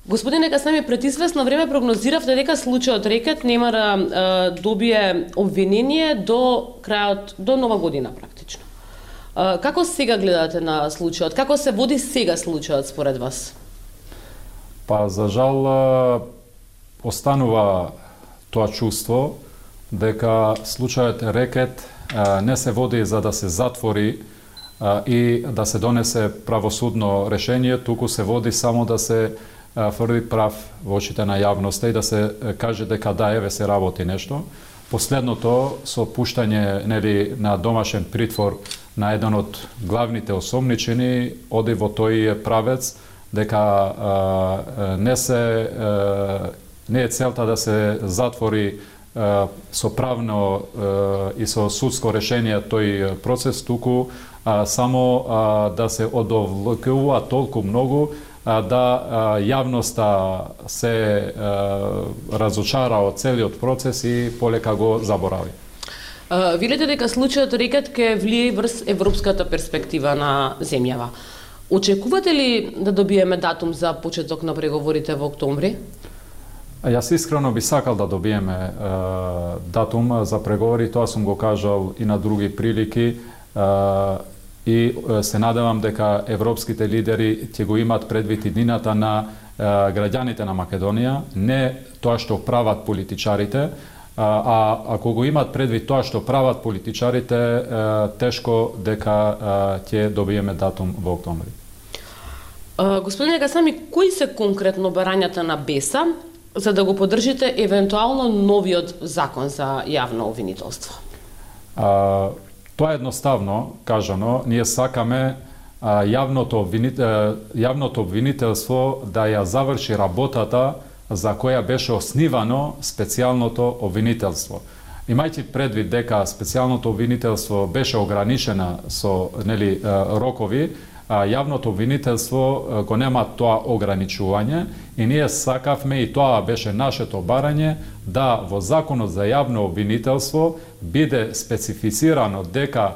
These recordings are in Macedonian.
Господине Касами, пред известно време прогнозиравте дека случајот Рекет нема да добие обвинение до крајот, до нова година практично. Како сега гледате на случајот? Како се води сега случајот според вас? Па, за жал, останува тоа чувство дека случајот Рекет не се води за да се затвори и да се донесе правосудно решение, туку се води само да се фрли прав во очите на јавноста и да се каже дека да, еве се работи нешто. Последното со пуштање на домашен притвор на еден од главните осомничени оди во тој правец дека не е целта да се затвори со правно и со судско решение тој процес, туку само да се одовлекува толку многу да јавноста се разочара од целиот процес и полека го заборави. Велите дека случајот Рекет ќе влие врз европската перспектива на земјава. Очекувате ли да добиеме датум за почеток на преговорите во октомври? Јас искрено би сакал да добиеме датум за преговори, тоа сум го кажал и на други прилики, и се надевам дека европските лидери ќе го имат предвид иднината на граѓаните на Македонија, не тоа што прават политичарите, а ако го имат предвид тоа што прават политичарите, тешко дека ќе добиеме датум во октомври. Господине Касами, кои се конкретно барањата на БЕСА за да го поддржите евентуално новиот закон за јавно обвинителство? Тоа е едноставно кажано. Ние сакаме јавното обвинителство да ја заврши работата за која беше основано специјалното обвинителство. Имајќи предвид дека специјалното обвинителство беше ограничена со рокови, јавното обвинителство го нема тоа ограничување и ние сакавме, и тоа беше нашето барање, да во Законот за јавно обвинителство биде специфицирано дека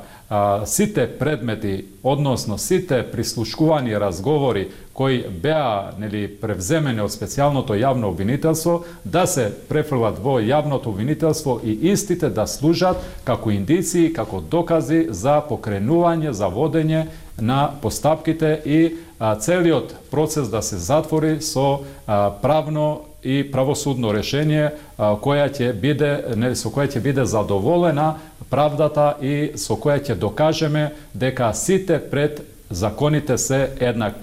сите предмети, односно сите прислушкувани разговори кои беа превземени од специјалното јавно обвинителство, да се префрлат во јавното обвинителство и истите да служат како индиции, како докази за покренување, за водење на постапките и целиот процес да се затвори со правно и правосудно решение со која ќе биде задоволена правдата и со која ќе докажеме дека сите пред законите се еднакви.